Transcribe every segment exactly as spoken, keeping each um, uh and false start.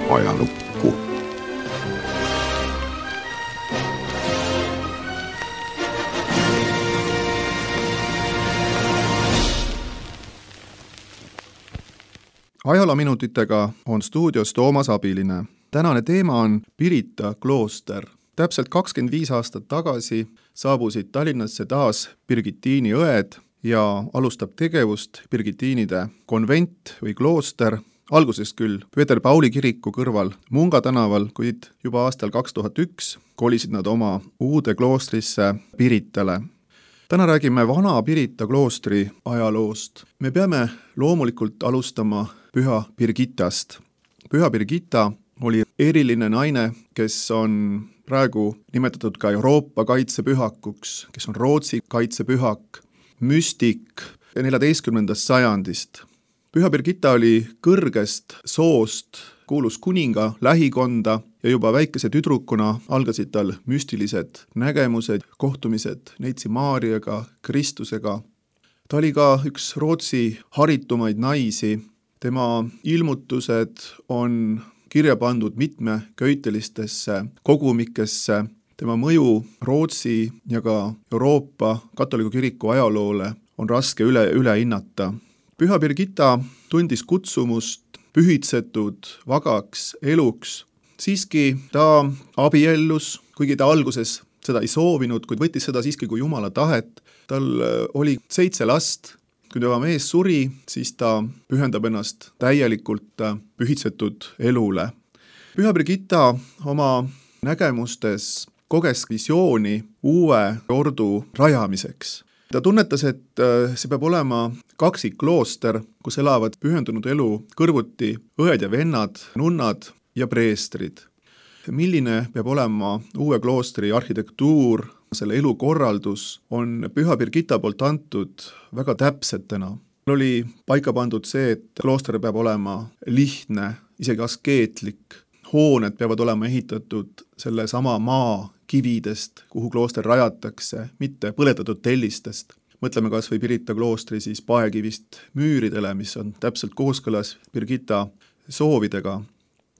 ajalukku. Ajaloominutitega on stuudios Toomas Abiline. Tänane teema on Pirita klooster. Täpselt kakskümmend viis aastat tagasi saabusid Tallinnasse taas Birgitiini õed ja alustab tegevust Birgitiinide konvent või klooster, alguses küll Peeter Pauli kiriku kõrval Munga tänaval, kuid juba aastal kaks tuhat üks kolisid nad oma uude kloostrisse Piritale. Täna räägime vana Pirita kloostri ajaloost. Me peame loomulikult alustama Püha Birgitast. Püha Birgita oli eriline naine, kes on praegu nimetatud ka Euroopa kaitsepühakuks, kes on Rootsi kaitsepühak, müstik neljateistkümnendast sajandist. Püha Birgita oli kõrgest soost, kuulus kuninga lähikonda ja juba väikese tüdrukuna algasid tal müstilised nägemused, kohtumised Neitsi Maariaga, Kristusega. Ta oli ka üks Rootsi haritumaid naisi. Tema ilmutused on kirja pandud mitmeköitelistesse kogumikesse. Tema mõju Rootsi ja ka Euroopa katoliku kiriku ajaloole on raske üle, üle hinnata. Püha Birgita tundis kutsumust pühitsetud vagaks eluks. Siiski ta abiellus, kuigi ta alguses seda ei soovinud, kuid võttis seda siiski kui Jumala tahet. Tal oli seitse last. Kui tema mees suri, siis ta pühendab ennast täielikult pühitsetud elule. Püha Birgita oma nägemustes koges visiooni uue ordu rajamiseks. Ta tunnetas, et see peab olema kaksikklooster, kus elavad pühendunud elu kõrvuti õed ja vennad, nunnad ja preestrid. Milline peab olema uue kloostri arhitektuur, selle elukorraldus on Püha Birgita poolt antud väga täpsetena. Oli paika pandud see, et klooster peab olema lihtne, isegi askeetlik. Hooned peavad olema ehitatud selle sama maa kividest, kuhu klooster rajatakse, mitte põletatud tellistest. Mõtleme kas või Pirita kloostri siis paekivist müüridele, mis on täpselt kooskõlas Birgita soovidega.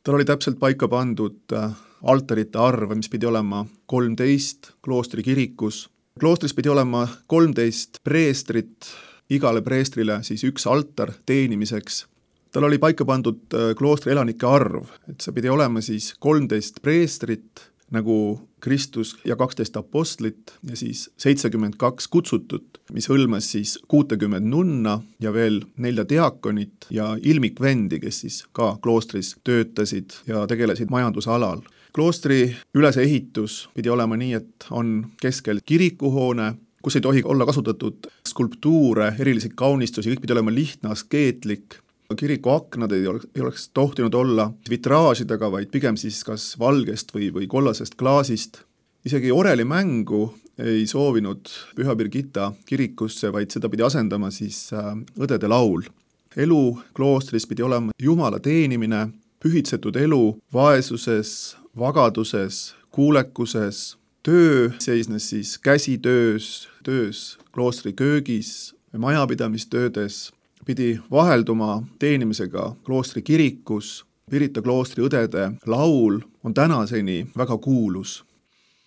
Tal oli täpselt paika pandud altarite arv, mis pidi olema kolmteist kloostri kirikus. Kloostris pidi olema kolmteist preestrit, igale preestrile siis üks altar teenimiseks. Tal oli paika pandud kloostri elanike arv, et see pidi olema siis kolmteist preestrit, nagu Kristus ja kaksteist apostlit ja siis seitsekümmend kaks kutsutut, mis hõlmas siis kuutekümmend nunna ja veel nelja diakonit ja ilmikvendi, kes siis ka kloostris töötasid ja tegelesid majandusalal. Kloostri ülesehitus pidi olema nii, et on keskel kirikuhoone, kus ei tohi olla kasutatud skulptuure, erilisi kaunistusi, kõik pidi olema lihtne, askeetlik. Kiriku aknad ei oleks, ei oleks tohtinud olla vitraažidega, vaid pigem siis kas valgest või, või kollasest klaasist. Isegi oreli mängu ei soovinud Püha Birgita kirikusse, vaid seda pidi asendama siis õdede laul. Elu kloostris pidi olema Jumala teenimine, pühitsetud elu vaesuses, vagaduses, kuulekuses. Töö seisnes siis käsitöös, töös kloostri köögis, majapidamistöödes, pidi vahelduma teenimisega kloostri kirikus. Pirita kloostri õdede laul on tänaseni väga kuulus.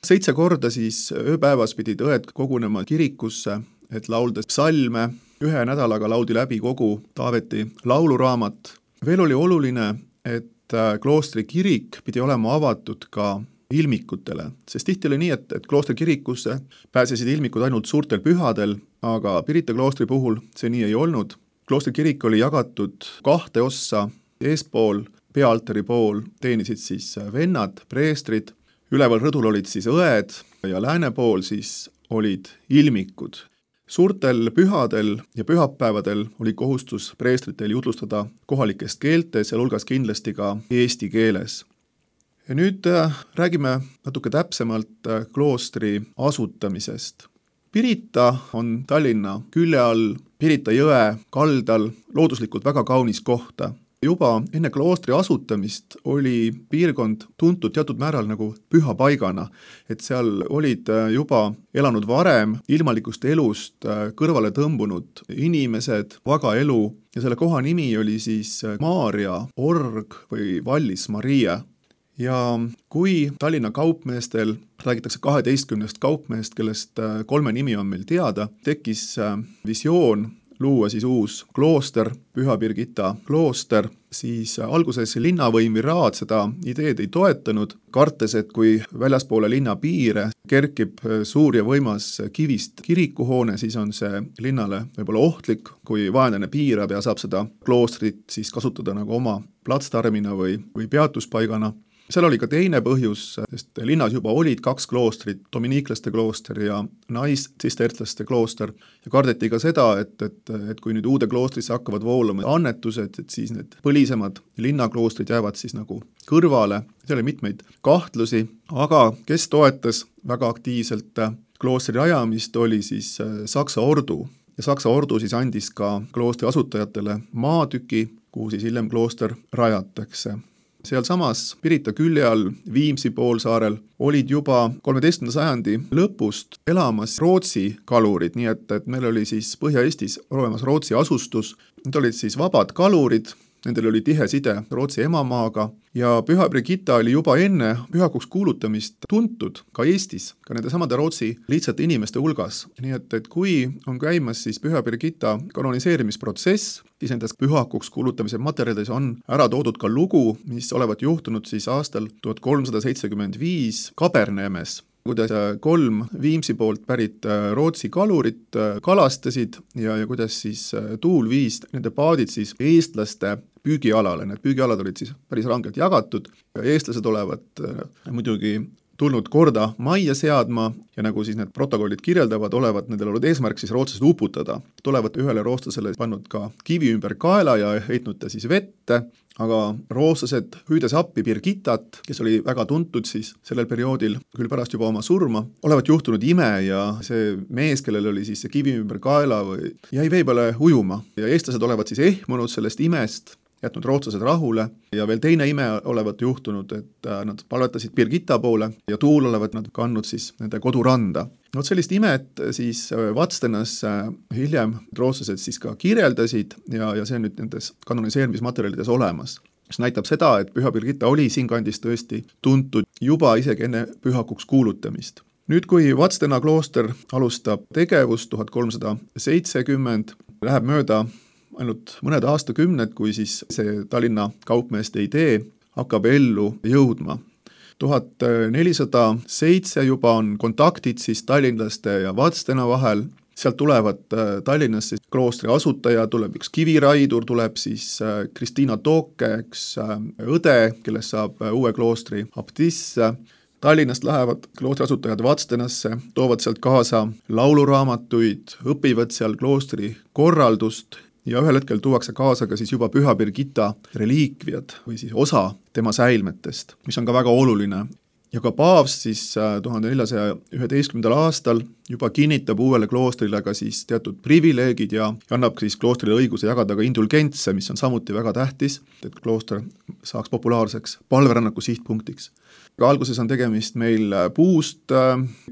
Seitse korda siis ööpäevas pidid õed kogunema kirikusse, et laulda psalme. Ühe nädalaga laudi läbi kogu Taaveti lauluraamat. Veel oli oluline, et kloostri kirik pidi olema avatud ka ilmikutele, sest tihti oli nii, et, et kloostri kirikusse pääsesid ilmikud ainult suurtel pühadel, aga Pirita kloostri puhul see nii ei olnud. Kloostri kirik oli jagatud kahte ossa, eespool, peaaltari pool teenisid siis vennad, preestrid, üleval rõdul olid siis õed ja lääne pool siis olid ilmikud. Suurtel pühadel ja pühapäevadel oli kohustus preestritel jutlustada kohalikest keeltes ja hulgas kindlasti ka eesti keeles. Ja nüüd räägime natuke täpsemalt kloostri asutamisest. Pirita on Tallinna külje all, Pirita jõe kaldal, looduslikult väga kaunis kohta. juba enne kloostri asutamist oli piirkond tuntud teatud määral nagu püha paigana, et seal olid juba elanud varem ilmalikust elust kõrvale tõmbunud inimesed, vaga elu, ja selle koha nimi oli siis Maarja org või Vallis Maria. Ja kui Tallinna kaupmeestel, räägitakse kaheteistkümnest kaupmeest, kellest kolme nimi on meil teada, tekkis visioon luua siis uus klooster, Püha Birgitta klooster, siis alguses linnavõim või raad seda ideed ei toetanud, kartes, et kui väljaspoole linna piire kerkib suur ja võimas kivist kirikuhoone, siis on see linnale võib-olla ohtlik, kui vaenlane piirab ja saab seda kloostrit siis kasutada nagu oma platsdarmina või, või peatuspaigana. Seal oli ka teine põhjus, sest linnas juba olid kaks kloostrit, dominiiklaste klooster ja nais-tsistertlaste klooster, ja kardeti ka seda, et, et, et kui nüüd uude kloostrisse hakkavad voolama annetused, et siis need põlisemad linnakloostrid jäävad siis nagu kõrvale. Seal oli mitmeid kahtlusi, aga kes toetas väga aktiivselt kloostri rajamist, oli siis Saksa ordu. Ja Saksa ordu siis andis ka kloostri asutajatele maatüki, kuhu siis hiljem klooster rajatakse. Seal samas Pirita külje all Viimsi poolsaarel olid juba kolmeteistkümnenda sajandi lõpust elamas Rootsi kalurid, nii et, et meil oli siis Põhja-Eestis olemas Rootsi asustus. Need olid siis vabad kalurid, nendel oli tihe side Rootsi emamaaga ja Püha Birgitta oli juba enne pühakuks kuulutamist tuntud ka Eestis, ka nende samade Rootsi lihtsate inimeste hulgas. Nii et, et kui on käimas siis Püha Birgitta kanoniseerimisprotsess, siis nendes pühakuks kuulutamise materjalides on ära toodud ka lugu, mis olevat juhtunud siis aastal tuhat kolmsada seitsekümmend viis Kaberneemes, kuidas kolm Viimsi poolt pärit Rootsi kalurit kalastasid ja, ja kuidas siis tuul viis nende paadid siis eestlaste püügialale. Need püügialad olid siis päris rangelt jagatud. Eestlased olevat muidugi tulnud korda majja seadma ja nagu siis need protokollid kirjeldavad, olevat nendel olnud eesmärk siis rootslased uputada. Tulevat ühele rootslasele pannud ka kivi ümber kaela ja heitnud ta siis vette, aga rootslased hüüdes appi Birgittat, kes oli väga tuntud siis sellel perioodil, küll pärast juba oma surma, olevat juhtunud ime ja see mees, kellel oli siis see kivi ümber kaela, või jäi vee peale ujuma ja eestlased olevat siis ehmunud sellest imest, jätnud rootslased rahule ja veel teine ime olevat juhtunud, et nad palvetasid Birgitta poole ja tuul olevat nad kandnud siis nende koduranda. No sellist imet siis Vadstenas hiljem rootslased siis ka kirjeldasid ja, ja see on nüüd nendes kanoniseerimismaterjalides olemas. Mis näitab seda, et Püha Birgitta oli siinkandis tõesti tuntud juba isegi enne pühakuks kuulutamist. Nüüd, kui Vadstena klooster alustab tegevust tuhat kolmsada seitsekümmend, läheb mööda ainult mõned aastakümned, kui siis see Tallinna kaupmeeste idee hakkab ellu jõudma. tuhat nelisada seitse juba on kontaktid siis tallinlaste ja Vadstena vahel, sealt tulevad Tallinnasse kloostri asutaja, tuleb üks kiviraidur, tuleb siis Kristiina Tooke, üks õde, kellest saab uue kloostri abtiss. Tallinnast lähevad kloostri asutajad Vadstenasse, toovad sealt kaasa lauluraamatuid, õpivad seal kloostri korraldust ja ühel hetkel tuuakse kaasa ka siis juba Püha Birgitta reliikviad või siis osa tema säilmetest, mis on ka väga oluline. Ja ka paavst siis tuhande neljasaja üheteistkümnendal aastal juba kinnitab uuele kloostrile ka siis teatud privileegid ja annab siis kloostrile õiguse jagada ka indulgentse, mis on samuti väga tähtis, et klooster saaks populaarseks palverännaku sihtpunktiks. Ka alguses on tegemist meil puust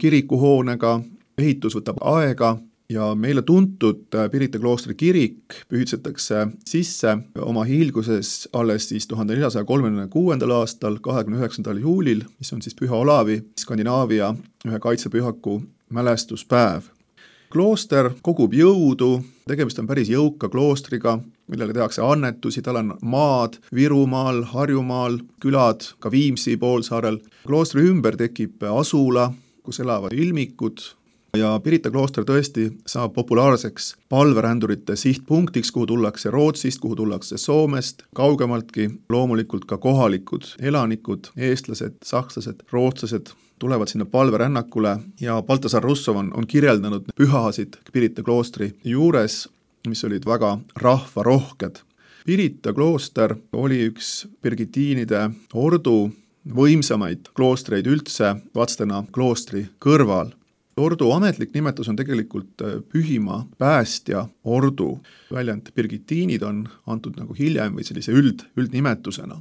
kirikuhoonega, ehitus võtab aega, ja meile tuntud Pirita kloostri kirik pühitsetakse sisse oma hiilguses alles siis tuhande neljasaja kolmekümne kuuendal aastal, kahekümne üheksandal juulil, mis on siis Püha Olavi, Skandinaavia ühe kaitsepühaku mälestuspäev. Klooster kogub jõudu, tegemist on päris jõuka kloostriga, millele tehakse annetusi, tal on maad Virumaal, Harjumaal, külad, ka Viimsi poolsaarel. Kloostri ümber tekib asula, kus elavad ilmikud, ja Pirita klooster tõesti saab populaarseks palverändurite sihtpunktiks, kuhu tullakse Rootsist, kuhu tullakse Soomest, kaugemaltki loomulikult ka kohalikud elanikud, eestlased, sakslased, rootslased tulevad sinna palverännakule ja Baltasar Russov on, on kirjeldanud pühasid Pirita kloostri juures, mis olid väga rahvarohked. Pirita klooster oli üks birgitiinide ordu võimsamaid kloostreid üldse Vadstena kloostri kõrval. ordu ametlik nimetus on tegelikult Pühimaa päästja ordu. Väljend Birgitiinid on antud nagu hiljem või sellise üld, üldnimetusena.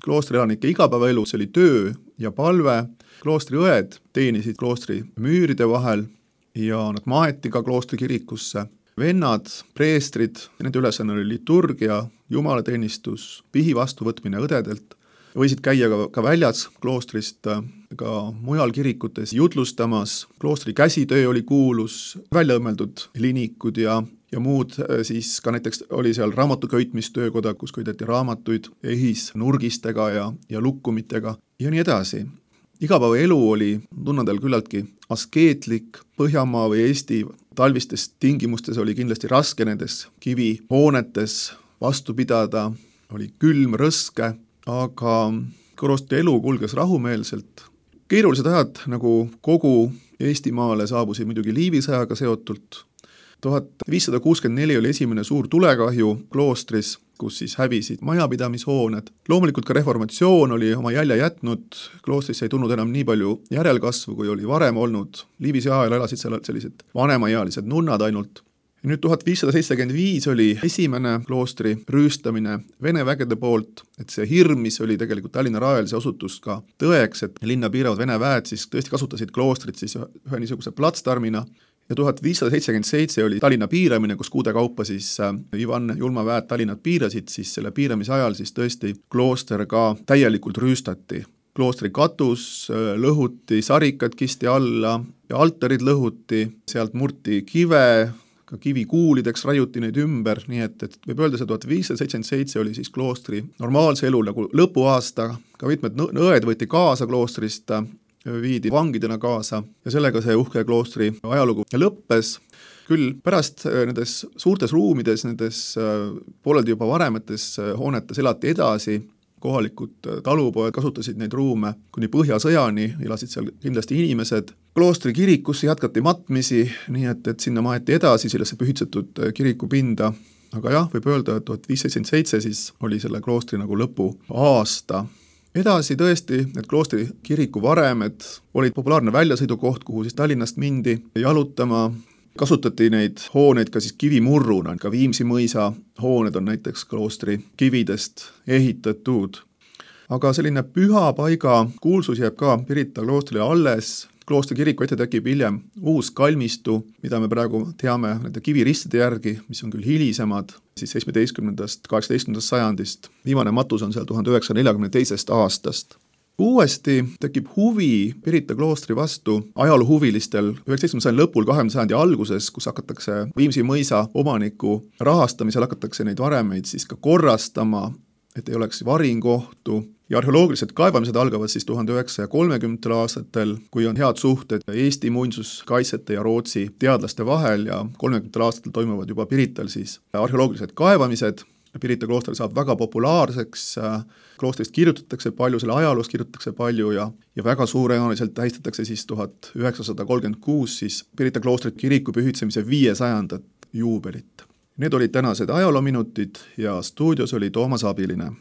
Kloostri elanike igapäevaelus oli töö ja palve. Kloostri õed teenisid kloostri müüride vahel ja nad maeti ka kloostri kirikusse. Vennad, preestrid, nende ülesanne oli liturgia, jumalateenistus, pihi vastuvõtmine õdedelt, võisid käia ka, ka väljas kloostrist, ka mujal kirikutes jutlustamas. Kloostri käsitöö oli kuulus, välja õmmeldud linikud ja, ja muud, siis ka näiteks oli seal raamatuköitmistöökoda, kus köideti raamatuid ehis nurgistega ja, ja lukkumitega ja nii edasi. Igapäeva elu oli tunnadel küllaltki askeetlik. Põhjamaa või Eesti talvistes tingimustes oli kindlasti raske nendes kivihoonetes vastu pidada, oli külm, rõske, aga kloostri elu kulges rahumeelselt. Keerulised ajad nagu kogu Eestimaale saabusid muidugi Liivi sõjaga seotult. tuhat viissada kuuskümmend neli oli esimene suur tulekahju kloostris, kus siis hävisid majapidamishooned. Loomulikult ka reformatsioon oli oma jälje jätnud, kloostrisse ei tulnud enam nii palju järelkasvu, kui oli varem olnud. Liivi sõja ajal elasid seal sellised vanemaealised nunnad ainult. Ja nüüd tuhat viissada seitsekümmend viis oli esimene kloostri rüüstamine Vene vägede poolt, et see hirm, mis oli tegelikult Tallinna rajal, see osutus ka tõeks, et linna piiravad Vene väed siis tõesti kasutasid kloostrit siis ühe niisuguse platsdarmina. Ja tuhat viissada seitsekümmend seitse oli Tallinna piiramine, kus kuude kaupa siis Ivan Julma väed Tallinnat piirasid, siis selle piiramise ajal siis tõesti klooster ka täielikult rüüstati. Kloostri katus lõhuti, sarikad kisti alla ja altarid lõhuti, sealt murti kive, ka kivikuulideks rajuti neid ümber, nii et, et võib öelda, see tuhat viissada seitsekümmend seitse oli siis kloostri normaalse elu nagu lõpuaasta, ka mitmed õed võeti kaasa kloostrist, viidi vangidena kaasa ja sellega see uhke kloostri ajalugu lõppes. Küll pärast nendes suurtes ruumides, nendes pooleldi juba varemates hoonetes elati edasi, kohalikud talupoed kasutasid neid ruume kuni Põhjasõjani, elasid seal kindlasti inimesed. Kloostri kirikusse jätkati matmisi, nii et, et sinna maeti edasi sellesse pühitsetud kirikupinda, aga jah, võib öelda, et tuhat viissada seitsekümmend seitse siis oli selle kloostri nagu lõpu aasta. Edasi tõesti, need kloostri kiriku varemed olid populaarne väljasõidukoht, kuhu siis Tallinnast mindi jalutama. Kasutati neid hooneid ka siis kivimurruna, ka Viimsi mõisa hooned on näiteks kloostri kividest ehitatud. Aga selline püha paiga kuulsus jääb ka Pirita kloostrile alles. Kloostri kiriku ette tekib hiljem uus kalmistu, mida me praegu teame nende kiviristide järgi, mis on küll hilisemad, siis seitsmeteistkümnendast, kaheksateistkümnendast sajandist. Viimane matus on seal tuhat üheksasaja neljakümne teisest aastast. Uuesti tekib huvi Pirita kloostri vastu ajaloohuvilistel üheksateistkümnenda sajandi lõpul, kahekümnenda sajandi alguses, kus hakatakse Viimsi mõisa omaniku rahastamisel hakatakse neid varemeid siis ka korrastama, et ei oleks varingohtu. Ja arheoloogilised kaevamised algavad siis tuhande üheksasaja kolmekümnendatel aastatel, kui on head suhted Eesti muinsuskaitsjate ja Rootsi teadlaste vahel ja kolmekümnendatel aastatel toimuvad juba Pirital siis arheoloogilised kaevamised. Pirita klooster saab väga populaarseks, kloostrist kirjutatakse palju, selle ajaloost kirjutatakse palju ja, ja väga suurejooneliselt tähistatakse siis tuhat üheksasada kolmkümmend kuus siis Pirita kloostri kiriku pühitsemise viiesajandat juubelit. Need olid tänased ajaloominutid ja stuudios oli Toomas Abiline.